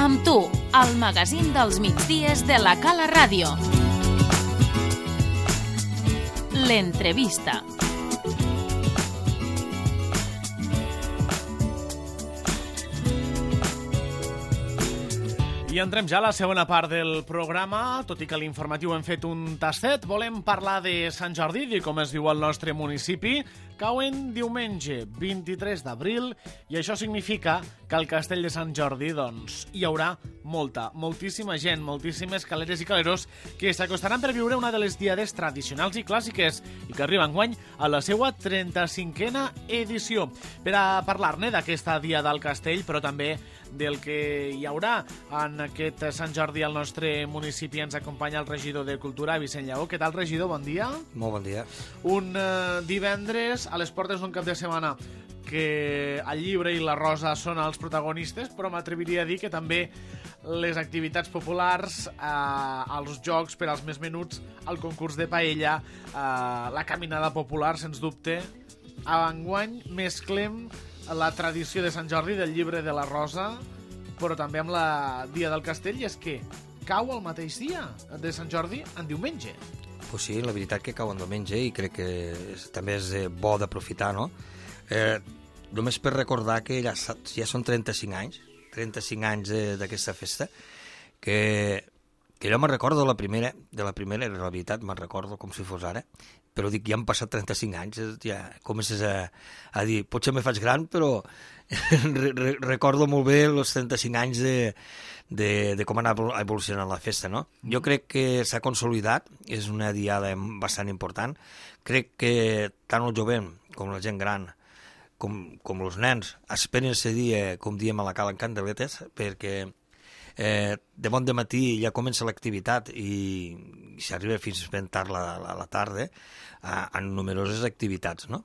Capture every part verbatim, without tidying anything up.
Amb tu, el magazín dels migdies de la Cala Ràdio. L'entrevista. I entrem ja a la segona part del programa. Tot i que a l'informatiu hem fet un tastet, volem parlar de Sant Jordi, de com es diu al nostre municipi. Cau en diumenge, vint-i-tres d'abril, i això significa que al Castell de Sant Jordi doncs, hi haurà molta, moltíssima gent, moltíssimes caleres i caleros que s'acostaran per viure una de les diades tradicionals i clàssiques i que arriba enguany a la seva trenta-cinquena edició. Per a parlar-ne d'aquesta diada al Castell, però també del que hi haurà en aquest Sant Jordi al nostre municipi, ens acompanya el regidor de Cultura, Vicent Lleó. Què tal, regidor? Bon dia. Molt bon dia. Un eh, divendres a les portes d'un cap de setmana que el llibre i la rosa són els protagonistes, però m'atreviria a dir que també les activitats populars, eh, els jocs per als més menuts, el concurs de paella, eh, la caminada popular, sens dubte. Enguany mesclem la tradició de Sant Jordi del llibre de la rosa, però també amb la Dia del Castell, i és que cau el mateix dia de Sant Jordi en diumenge. Pues sí, la veritat que cau en diumenge i crec que és, també és eh, bo d'aprofitar, no? Eh, només per recordar que ja, ja són trenta-cinc anys, trenta-cinc anys d'aquesta festa, que, que jo me'n recordo de la primera, de la primera, en realitat me'n recordo com si fos ara, però dic, ja han passat trenta-cinc anys, ja comences a, a dir, potser me faig gran, però re, re, recordo molt bé els trenta-cinc anys de, de, de com anar evolucionant la festa, no? Jo crec que s'ha consolidat, és una diada bastant important, crec que tant el jovent com la gent gran, com, com els nens, esperen aquest dia, com diem a la Cala, en candeletes, perquè Eh, de bon de matí ja comença l'activitat i, i s'arriba fins ben tard la, la, la tarda a, en numeroses activitats, no?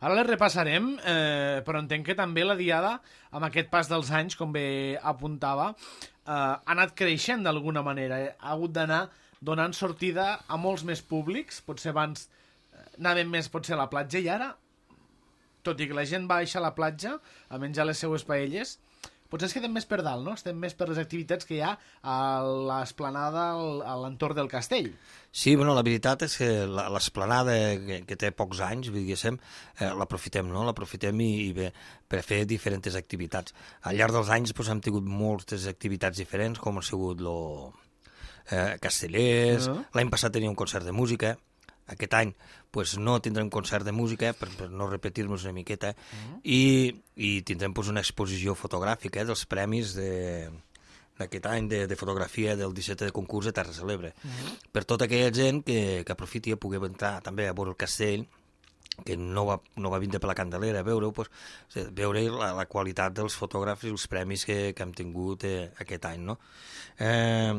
Ara les repassarem, eh, però entenc que també la diada, amb aquest pas dels anys, com bé apuntava, eh, ha anat creixent d'alguna manera. Eh? Ha hagut d'anar donant sortida a molts més públics. Potser abans eh, anàvem més potser a la platja i ara, tot i que la gent baixa a la platja a menjar les seues paelles, potser es quedem més per dalt, no? Estem més per les activitats que hi ha a l'esplanada, a l'entorn del castell. Sí, bueno, la veritat és que l'esplanada, que, que té pocs anys, diguéssim, eh, l'aprofitem, no? L'aprofitem i, i bé, per fer diferents activitats. Al llarg dels anys doncs, hem tingut moltes activitats diferents, com ha sigut lo, eh, castellers, uh-huh. L'any passat tenia un concert de música. Aquest any pues, no tindrem concert de música, per, per no repetir-nos una miqueta, uh-huh. i, i tindrem pues, una exposició fotogràfica eh, dels premis d'aquest any de, de fotografia del disset de concurs de Terra Celebre. Uh-huh. Per tota aquella gent que, que aprofiti a poder entrar també a veure el castell, que no va, no va vindre per la Candelera a veure-ho, pues, veure la, la qualitat dels fotògrafs i els premis que, que hem tingut eh, aquest any. No? Eh,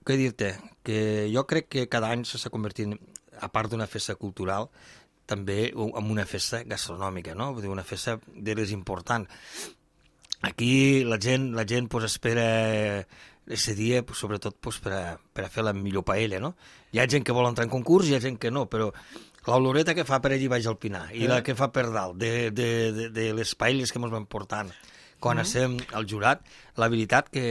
Què dir-te? Que jo crec que cada any s'està convertint, a part d'una festa cultural, també en una festa gastronòmica, no? Vull dir, una festa de les importants. Aquí la gent, la gent pues, espera aquest dia, pues, sobretot pues, per, a, per a fer la millor paella, no? Hi ha gent que vol entrar en concurs i hi ha gent que no, però l'oloreta que fa per allí baix al Pinar i eh? La que fa per dalt, de, de, de, de les paelles que ens van portant, quan mm-hmm. estem al jurat, la veritat que,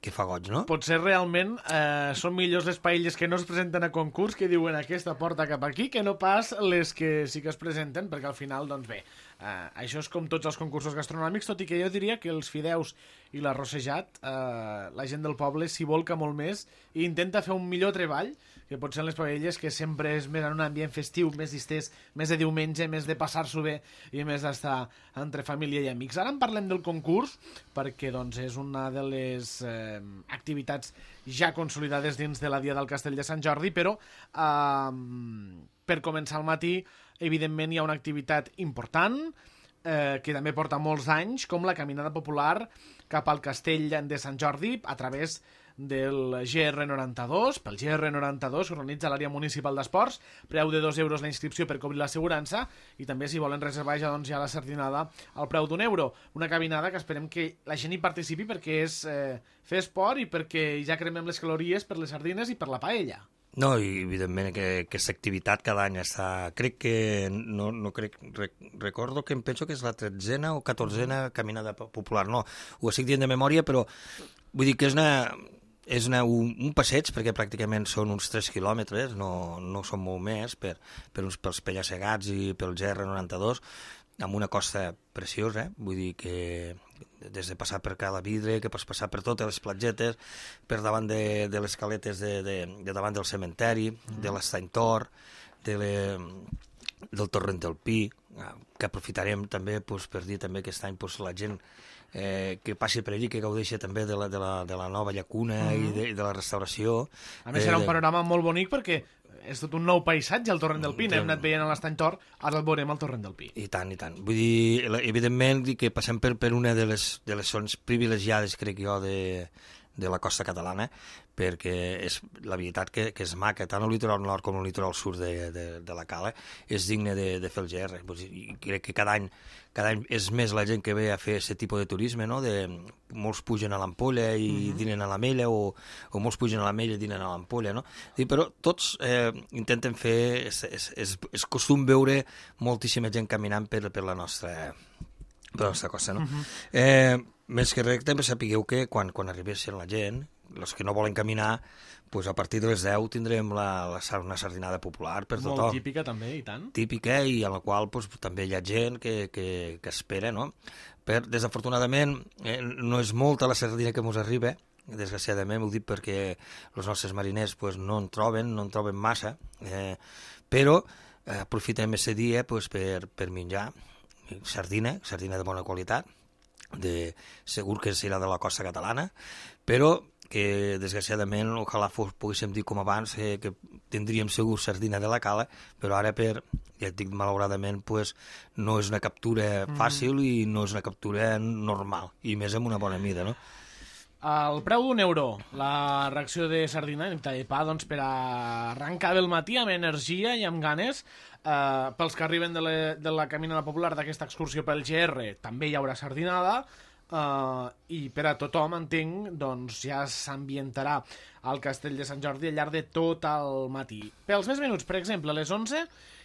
que fa goig, no? Potser realment eh, són millors les paelles que no es presenten a concurs, que diuen aquesta porta cap aquí, que no pas les que sí que es presenten, perquè al final, doncs bé, eh, això és com tots els concursos gastronòmics, tot i que jo diria que els fideus i l'arrossejat, eh, la gent del poble s'hi volca molt més i intenta fer un millor treball, que pot ser les paelles, que sempre és més en un ambient festiu, més distès, més de diumenge, més de passar-s'ho bé i més d'estar entre família i amics. Ara en parlem del concurs, perquè doncs, és una de les eh, activitats ja consolidades dins de la Dia del Castell de Sant Jordi, però eh, per començar al matí, evidentment hi ha una activitat important, eh, que també porta molts anys, com la caminada popular cap al Castell de Sant Jordi a través del G R noranta-dos, pel G R noranta-dos, que organitza l'àrea municipal d'esports, preu de dos euros la inscripció per cobrir l'assegurança, i també si volen reservar ja, doncs, ja la sardinada al preu d'un euro. Una caminada que esperem que la gent hi participi perquè és eh, fer esport i perquè ja cremem les calories per les sardines i per la paella. No, i evidentment que aquesta activitat cada any està... Crec que... No, no crec... Rec, recordo que em penso que és la tretzena o catorzena caminada popular. No, ho estic dient de memòria, però vull dir que és una... És una, un, un passeig, perquè pràcticament són uns tres quilòmetres, no, no són molt més, per, per uns, pels Penya-segats i pel G R noranta-dos, amb una costa preciosa, eh? Vull dir que des de passar per Cala Vidre, que pots passar per totes les platgetes, per davant de, de les caletes de, de, de davant del cementeri, mm. de l'Estany Tor, de le, del Torrent del Pi, que aprofitarem també pues, per dir també que aquest any pues, la gent eh, que passi per allí, que gaudeixi també de la, de la, de la nova llacuna mm. i, de, i de la restauració. A més, eh, serà un de... panorama molt bonic perquè és tot un nou paisatge, el Torrent del Pi. N'hem anat veient a l'Estany Tor, ara el veurem al Torrent del Pi. I tant, i tant. Vull dir, evidentment, que passem per, per una de les, de les zones privilegiades, crec jo, de, de la costa catalana, perquè és la veritat que, que és maca, tant el litoral nord com el litoral sud de, de, de la Cala, és digne de, de fer el G R. I crec que cada any, cada any és més la gent que ve a fer aquest tipus de turisme, no? De, molts pugen a l'Ampolla i mm-hmm. dinen a l'Ametlla, o, o molts pugen a l'Ametlla i dinen a l'Ampolla, no? I, però tots eh, intenten fer... És, és, és, és costum veure moltíssima gent caminant per, per la nostra... per la nostra costa, no? Mm-hmm. Eh, més que res, també sapigueu que quan, quan arribessin la gent, els que no volen caminar, pues a partir de les deu tindrem la, la, una sardinada popular per tothom. Molt típica també, i tant. Típica, i a la qual pues, també hi ha gent que, que, que espera, no? Per, desafortunadament, eh, no és molta la sardina que ens arriba, desgraciadament, ho dic perquè els nostres mariners pues, no en troben, no en troben massa, eh, però eh, aprofitem aquest dia pues, per, per menjar sardina, sardina de bona qualitat, de, segur que serà de la costa catalana, però que desgraciadament ojalà fos, poguéssim dir com abans eh, que tindríem segur sardina de la Cala, però ara per, ja et dic malauradament, pues, no és una captura fàcil mm. i no és una captura normal, i més amb una bona mida, no? El preu d'un euro, la reacció de sardina, de pa, doncs, per arrencar del matí amb energia i amb ganes. Eh, pels que arriben de, le, de la caminada popular d'aquesta excursió pel G R, també hi haurà sardinada, eh, i per a tothom, entenc, doncs ja s'ambientarà al Castell de Sant Jordi al llarg de tot el matí. Pels més minuts, per exemple, a les onze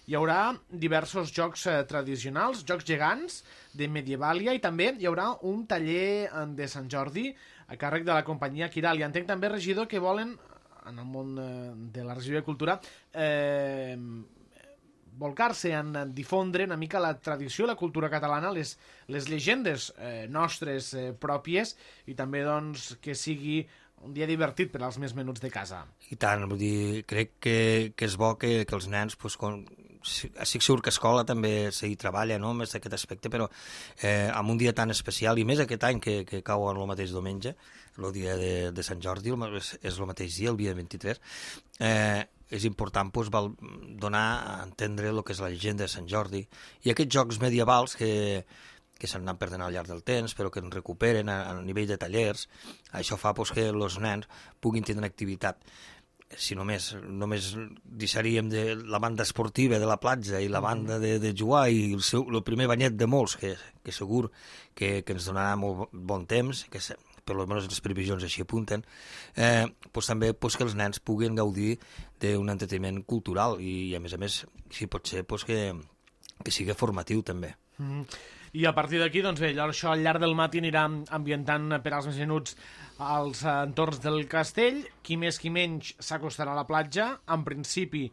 hi haurà diversos jocs eh, tradicionals, jocs gegants de Medievàlia, i també hi haurà un taller de Sant Jordi a càrrec de la companyia Quiral. I entenc també, regidor, que volen, en el món eh, de la regió de cultura, eh, volcar-se en difondre una mica la tradició, la cultura catalana, les, les llegendes eh, nostres eh, pròpies, i també doncs, que sigui un dia divertit per als més menuts de casa. I tant, vull dir, crec que, que és bo que, que els nens, pues, com, estic segur que a escola també s'hi treballa, no?, més d'aquest aspecte, però eh, en un dia tan especial, i més aquest any que, que cau en el mateix diumenge, el dia de, de Sant Jordi, és, és el mateix dia, el dia vint-i-tres, eh, és important pues, val, donar a entendre el que és la llegenda de Sant Jordi, i aquests jocs medievals que, que s'han anat perdent al llarg del temps, però que ens recuperen a, a nivell de tallers. Això fa pues, que els nens puguin tenir una activitat. Si només, només deixaríem de la banda esportiva de la platja i la banda de, de jugar i el, seu, el primer banyet de molts, que, que segur que, que ens donarà molt bon temps, que per almenys les previsions així apunten, eh, pues, també pues, que els nens puguin gaudir d'un entreteniment cultural i, a més a més, si pot ser, pues, que, que sigui formatiu també. Mm. I a partir d'aquí, doncs bé, això al llarg del matí anirà ambientant per als més menuts als entorns del castell. Qui més qui menys s'acostarà a la platja. En principi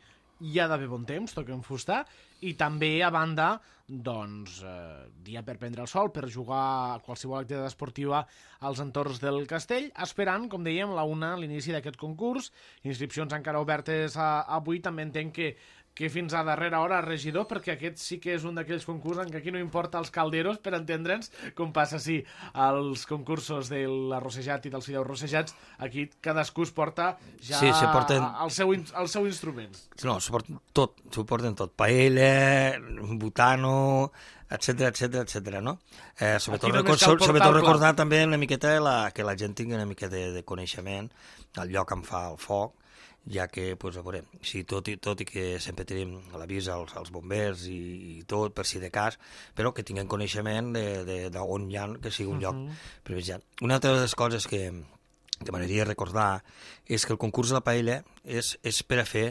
hi ha d'haver bon temps, toquem fusta, i també a banda, doncs, eh, dia per prendre el sol, per jugar a qualsevol activitat esportiva als entorns del castell, esperant, com dèiem, la una, l'inici d'aquest concurs. Inscripcions encara obertes a, avui, també entenc que que fins a darrera hora, regidor, perquè aquest sí que és un d'aquells concursos en què aquí no importa els calderos, per entendre'ns, com passa sí als concursos de l'arrossejat i dels fideus rossejats, aquí cadascú es porta ja sí, se porten... el, seu, el seu instruments. No, s'ho porten tot, s'ho porten tot, paella, butano, etcètera, etcètera, etcètera, no? Eh, sobretot record, sobretot recordar també una miqueta la, que la gent tingui una mica de, de coneixement del lloc on fa el foc, ja que, pues, a veure, sí, tot, i, tot i que sempre tenim l'avís als, als bombers i, i tot, per si de cas, però que tinguin coneixement d'on hi ha, que sigui un lloc uh -huh. privilegiat. Una altra de les coses que, que m'agradaria recordar és que el concurs de la paella és, és per a fer,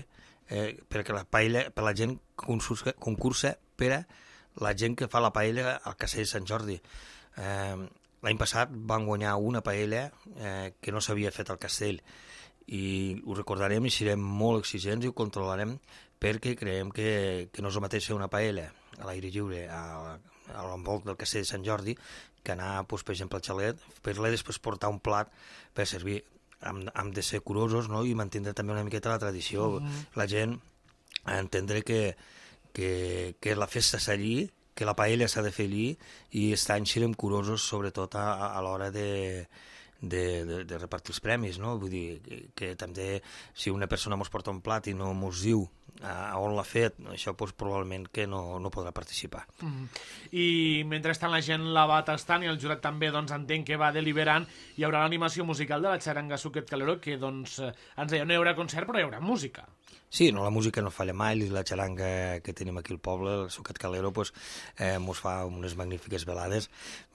eh, perquè la paella, per la gent concursa, concursa per a la gent que fa la paella al Castell de Sant Jordi. Eh, L'any passat van guanyar una paella eh, que no s'havia fet al castell i ho recordarem i serem molt exigents i ho controlarem perquè creiem que, que no és el mateix fer una paella a l'aire lliure a, a l'envolt del Castell de Sant Jordi que anar, doncs, per exemple, al xalet, per-la després portar un plat per servir. Hem, hem de ser curosos, no?, i mantindre també una miqueta la tradició. Mm-hmm. La gent a entendre que, que, que la festa és allí, que la paella s'ha de fer allí i aquest any serem curosos sobretot a, a l'hora de, de, de, de repartir els premis, no? Vull dir que, que també si una persona mos porta un plat i no mos diu a on l'ha fet, això doncs, probablement que no, no podrà participar. Mm. I mentrestant la gent la va tastant i el jurat també doncs, entenc que va deliberant, hi haurà l'animació musical de la xaranga Suquet Calero que doncs, ens deia no hi haurà concert però hi haurà música. Sí, no, la música no falla mai, la xaranga que tenim aquí al poble, el Suquet Calero, pues, eh, mos fa unes magnífiques velades.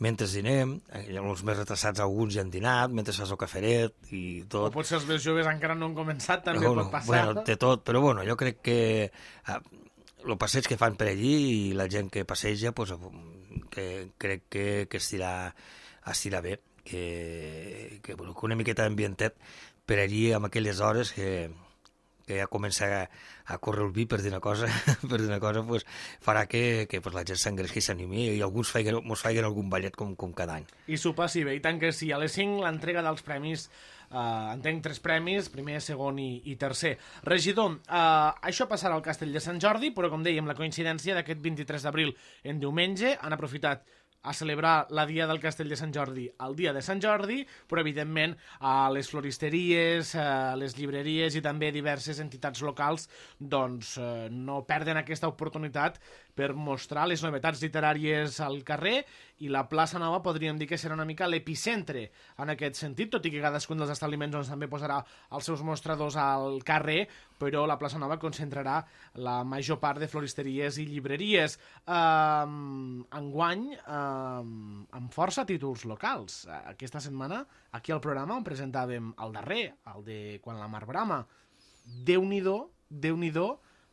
Mentre dinem, eh, els més retrasats alguns ja han dinat, mentre fas el caferet i tot. O potser els més joves encara no han començat, també no, pot passar. Bueno, té tot, però bueno, jo crec que eh, el passeig que fan per allí i la gent que passeja, pues, que crec que, que estirà, estirà bé, que, que, bueno, que una miqueta d'ambientet per allí amb aquelles hores que que ja comença a, a córrer el vi, per dir una cosa, per dir una cosa pues, farà que, que pues, la gent s'engresqui i s'animi i alguns feien, mos feien algun ballet com, com cada any. I s'ho passi bé, i tant que sí. A les cinc l'entrega dels premis, eh, entenc tres premis, primer, segon i, i tercer. Regidor, eh, això passarà al Castell de Sant Jordi, però com dèiem, la coincidència d'aquest vint-i-tres d'abril en diumenge han aprofitat a celebrar la Dia del Castell de Sant Jordi el dia de Sant Jordi, però evidentment a les floristeries, a les llibreries i també diverses entitats locals doncs eh, no perden aquesta oportunitat per mostrar les novetats literàries al carrer i la plaça Nova podríem dir que serà una mica l'epicentre en aquest sentit, tot i que cadascun dels establiments doncs, també posarà els seus mostradors al carrer, però la plaça Nova concentrarà la major part de floristeries i llibreries. Um, enguany, um, amb força títols locals. Aquesta setmana, aquí al programa, on presentàvem el darrer, el de Quan la mar brama. Déu-n'hi-do, Déu-n'hi-do,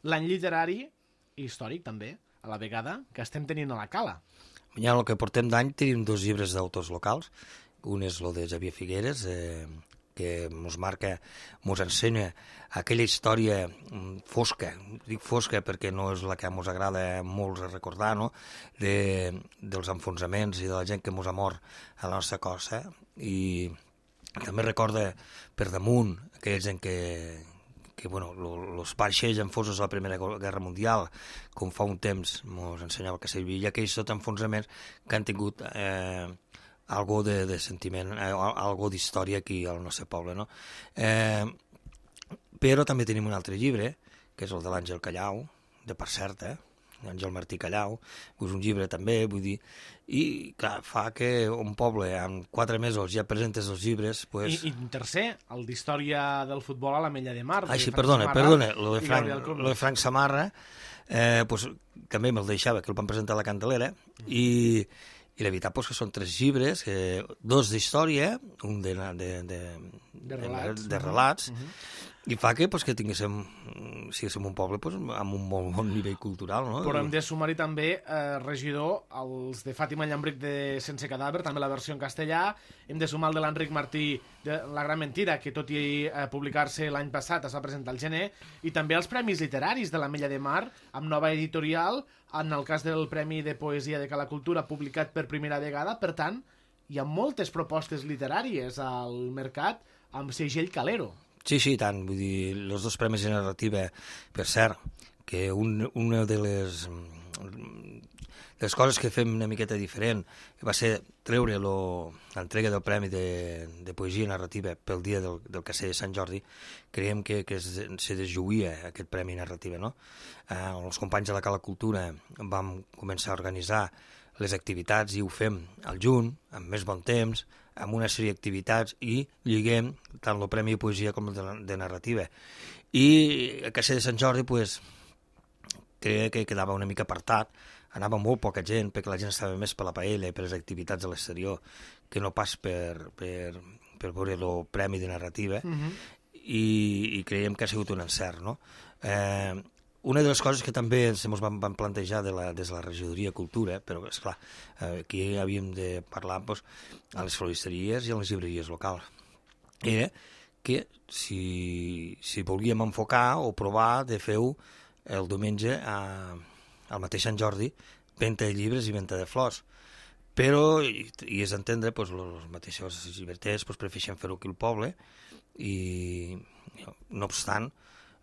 l'any literari i històric també, a la vegada, que estem tenint a la Cala. Ja el que portem d'any tenim dos llibres d'autors locals. Un és el de Xavier Figueres, eh, que mos marca, mos ensenya aquella història fosca, dic fosca perquè no és la que mos agrada molts recordar, no? de, dels enfonsaments i de la gent que mos ha mort a la nostra costa, i també recorda per damunt aquella gent que, que bueno, els vaixells enfosos a la Primera Guerra Mundial, com fa un temps mos ensenyava que servia, aquells tot enfonsaments que han tingut eh, algo de, de sentiment, eh, algo d'història aquí al nostre poble, no? Eh, però també tenim un altre llibre, que és el de l'Àngel Callau, de per cert, eh? Àngel Martí Callau, és un llibre també, vull dir, i clar, fa que un poble en quatre mesos ja presentes els llibres, pues... I, i tercer, el d'història del futbol a l'Ametlla de Mar. Ah, sí, perdona, perdona, lo de Frank, lo de Frank Samarra, eh, pues, també me'l deixava, que el van presentar a la Candelera, mm. i... I la veritat pues, que són tres llibres, eh, dos d'història, un de, de, de, de relats, de, de relats uh -huh. i fa que, pues, que tinguéssim, siguéssim un poble pues, amb un molt bon nivell cultural. No? Però hem de sumar-hi també, eh, regidor, els de Fàtima Llambric de Sense Cadàver, també la versió en castellà, hem de sumar el de l'Enric Martí de La Gran Mentira, que tot i eh, publicar-se l'any passat es va presentar al gener, i també els Premis Literaris de l'Ametlla de Mar, amb nova editorial, en el cas del Premi de Poesia de Cala Cultura, publicat per primera vegada. Per tant, hi ha moltes propostes literàries al mercat amb segell Calero. Sí, sí, tant. Vull dir, els dos premis de narrativa, per cert, que un, una de les, de les coses que fem una miqueta diferent va ser treure l'entrega del Premi de, de Poesia Narrativa pel dia del, del Castell de Sant Jordi. Creiem que, que es, se desjuïa aquest Premi Narrativa, no? Eh, els companys de la Cala Cultura vam començar a organitzar les activitats i ho fem al juny, amb més bon temps, amb una sèrie d'activitats i lliguem tant el Premi de Poesia com el de, de Narrativa. I a Castell de Sant Jordi, pues, creia que quedava una mica apartat, anava molt poca gent perquè la gent estava més per la paella i per les activitats a l'exterior que no pas per, per, per veure el Premi de Narrativa, Mhm. i, i creiem que ha sigut un encert, no? Eh, una de les coses que també ens vam, vam plantejar de la, des de la regidoria Cultura, però, esclar, eh, aquí havíem de parlar doncs, a les floristeries i a les llibreries locals, era que si, si volíem enfocar o provar de fer-ho el diumenge a, al mateix Sant Jordi, venda de llibres i venda de flors. Però, i, i és entendre, doncs, els mateixos llibreters doncs, prefereixen fer-ho aquí al poble, i no obstant,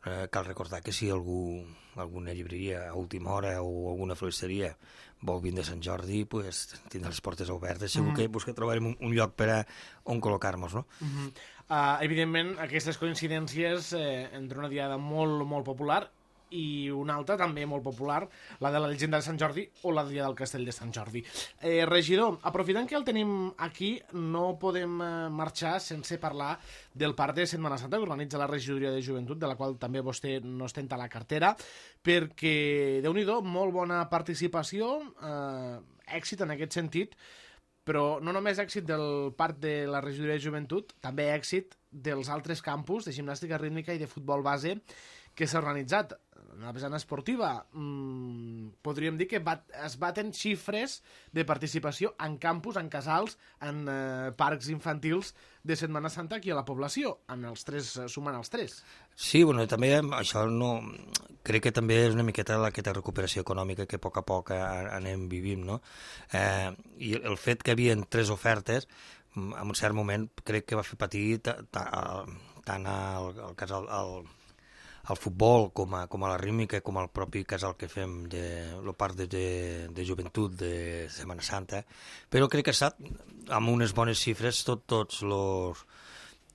eh, cal recordar que si algú, alguna llibreria a última hora o alguna floristeria vol vindre a Sant Jordi, pues, tindrà les portes obertes, segur mm. que, pues, que trobarem un, un lloc per a on col·locar-nos, no? Mm -hmm. uh, evidentment, aquestes coincidències eh, entre una diada molt, molt popular i una altra també molt popular, la de la llegenda de Sant Jordi o la dia del castell de Sant Jordi. Eh, regidor, aprofitant que el tenim aquí, no podem eh, marxar sense parlar del parc de Setmana Santa que organitza la regidoria de joventut, de la qual també vostè no ostenta la cartera, perquè, déu-n'hi-do, molt bona participació, eh, èxit en aquest sentit, però no només èxit del parc de la regidoria de joventut, també èxit dels altres campus de gimnàstica rítmica i de futbol base que s'ha organitzat. Una vessant esportiva, mmm, podríem dir que bat, es baten xifres de participació en campus, en casals, en eh, parcs infantils de Setmana Santa aquí a la població, en els tres, sumant els tres. Sí, bueno, també això no... Crec que també és una miqueta aquesta recuperació econòmica que a poc a poc anem vivint, no? Eh, I el fet que hi havia tres ofertes, en un cert moment crec que va fer patir tant al, al casal... Al, al futbol, com a, com a la rítmica, com al propi casal que fem de la part de, de, de joventut de Setmana Santa, però crec que ha estat amb unes bones xifres tot, tots els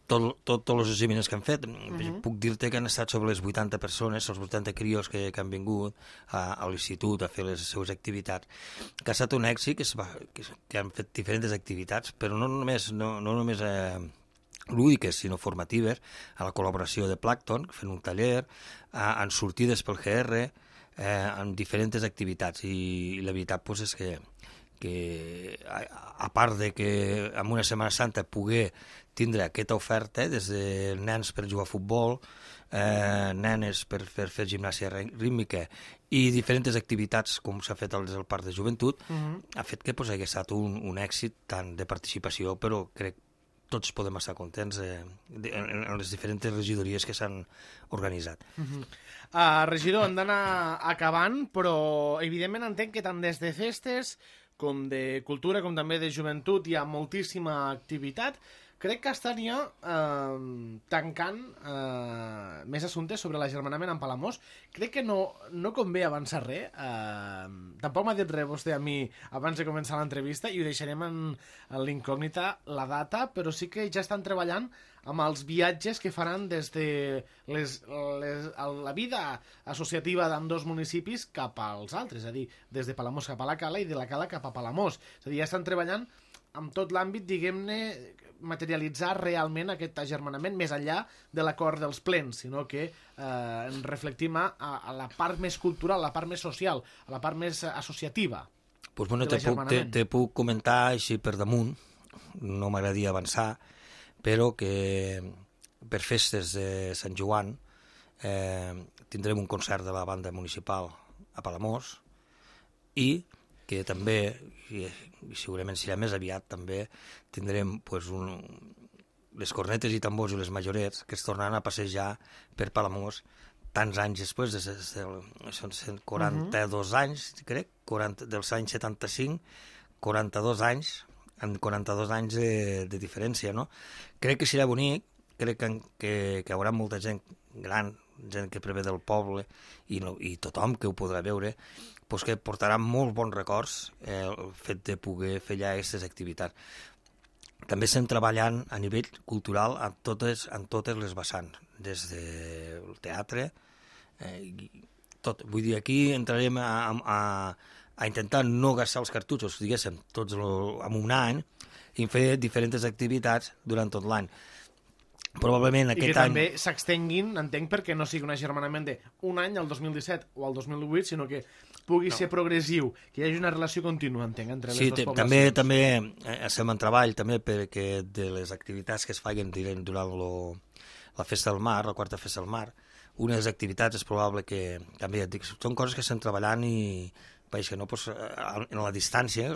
tot, tot, tots els exàmens que han fet. Uh-huh. Puc dir-te que han estat sobre les vuitanta persones, els vuitanta crios que, que han vingut a, a l'institut a fer les seues activitats, que ha estat un èxit, que, es va, que, que han fet diferents activitats, però no només, no, no només eh, lúdiques, sinó formatives, a la col·laboració de Plankton, fent un taller, a, en sortides pel G R, eh, en diferents activitats, i, i la veritat pues, és que, que a, a part de que en una Setmana Santa poder tindre aquesta oferta, des de nens per jugar a futbol, eh, nenes per, per fer gimnàsia rítmica i diferents activitats com s'ha fet des del Parc de Joventut, uh-huh. ha fet que pues, hagués estat un, un èxit tant de participació, però crec tots podem estar contents eh, de, en, en les diferents regidories que s'han organitzat. Uh-huh. uh, regidor, hem d'anar acabant, però evidentment entenc que tant des de festes com de cultura, com també de joventut, hi ha moltíssima activitat. Crec que estaria eh, tancant eh, més assumptes sobre l'agermanament amb Palamós. Crec que no, no convé avançar res. Eh, tampoc m'ha dit res vostè a mi abans de començar l'entrevista i ho deixarem en, en l'incògnita la data, però sí que ja estan treballant amb els viatges que faran des de les, les, la vida associativa d'ambdós municipis cap als altres, és a dir, des de Palamós cap a la Cala i de la Cala cap a Palamós. És a dir, ja estan treballant amb tot l'àmbit, diguem-ne, materialitzar realment aquest agermanament més enllà de l'acord dels plens, sinó que eh, ens reflectim a, a la part més cultural, a la part més social, a la part més associativa. Pues bueno, te puc, te, te puc comentar així per damunt, no m'agradaria avançar, però que per festes de Sant Joan eh, tindrem un concert de la banda municipal a Palamós i que també, i segurament serà més aviat, també tindrem pues, un, les cornetes i tambors i les majorets que es tornaran a passejar per Palamós tants anys després, des, des del, són quaranta-dos uh-huh. anys, crec, quaranta, dels anys setanta-cinc, quaranta-dos anys, amb quaranta-dos anys de, de diferència, no? Crec que serà bonic, crec que, que, que hi haurà molta gent gran, gent que prevé del poble i, no, i tothom que ho podrà veure, pues que portarà molt bons records eh, el fet de poder fer allà aquestes activitats. També estem treballant a nivell cultural en totes, en totes les vessants, des del teatre, eh, tot. Vull dir, aquí entrarem a, a, a intentar no gastar els cartutxos, diguéssim, tots lo, en un any, i fer diferents activitats durant tot l'any. probablement I que aquest any... també s'extenguin, entenc, perquè no sigui un agermanament d'un any al dos mil disset o al dos mil divuit, sinó que pugui no. ser progressiu, que hi hagi una relació contínua, entenc, entre les sí, dues poblacions. També, també estem en treball també perquè de les activitats que es facin durant lo, la Festa del Mar, la quarta Festa del Mar, unes activitats és probable que, també et dic, són coses que estem treballant i, veig que no, pues, en la distància,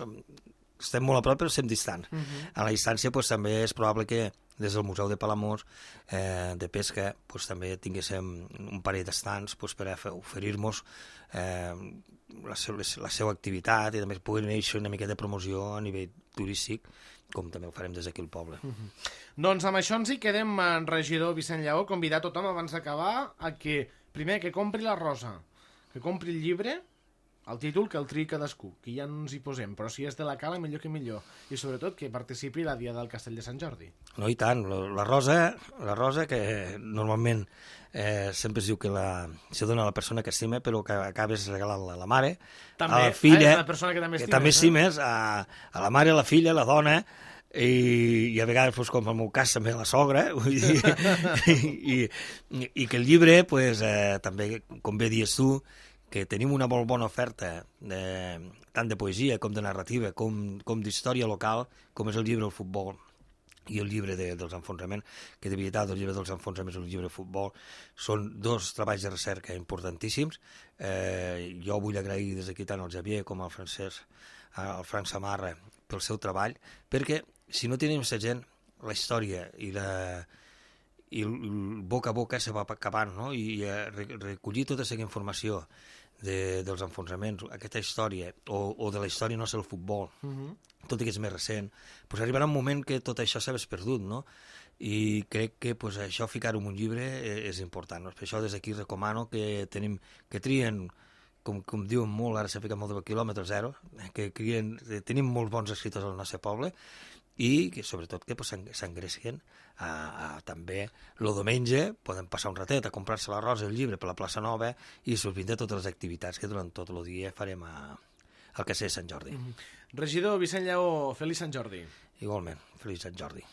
estem molt a prop però estem distants. Uh -huh. A la distància pues, també és probable que des del Museu de Palamós eh, de Pesca pues, també tinguéssim un parell d'estants pues, per oferir-nos eh, la, seu, la seva activitat i també pugui néixer una mica de promoció a nivell turístic, com també ho farem des d'aquí al poble. Uh -huh. Doncs amb això ens hi quedem, en regidor Vicent Lleó, convidar tothom abans d'acabar a que, primer, que compri la rosa, que compri el llibre, el títol que el triï cadascú, que ja no ens hi posem, però si és de la Cala, millor que millor. I sobretot que participi la dia del Castell de Sant Jordi. No, i tant. La rosa, la rosa que normalment eh, sempre es diu que la, se dona a la persona que estima, però que acabes regalant a la mare, també, a la filla, ah, és la persona que també estimes, que també estimes eh? a, a la mare, a la filla, a la dona, i, i a vegades, pues, com en el meu cas, també a la sogra, vull dir, i, i, i que el llibre, pues, eh, també, com bé dius tu, que tenim una molt bona oferta de, tant de poesia com de narrativa com, com d'història local, com és el llibre del futbol i el llibre de, dels enfronsaments, que de veritat el llibre dels enfronsaments i el llibre de futbol són dos treballs de recerca importantíssims. Eh, jo vull agrair des d'aquí tant al Xavier com al Francesc, al Frank Samarra, pel seu treball, perquè si no tenim aquesta gent, la història i la... i el boca a boca se va acabant, no? I eh, recollir tota aquesta informació de, dels enfronsaments, aquesta història, o, o de la història no és el futbol, uh -huh. tot i que és més recent, pues arribarà un moment que tot això s'ha perdut, no? I crec que pues, això, ficar-ho en un llibre és important, no? Per això des d'aquí recomano que tenim, que trien, com, com diuen molt, ara s'ha ficat molt de quilòmetre zero, que crien, tenim molts bons escriptors al nostre poble, i que sobretot que pues, s'engresquen a, a, també el diumenge poden passar un ratet a comprar-se la rosa i el llibre per la plaça Nova i sorprendre totes les activitats que durant tot el dia farem a, al Castell de Sant Jordi. Mm-hmm. Regidor Vicent Lleó, feliç Sant Jordi. Igualment, feliç Sant Jordi.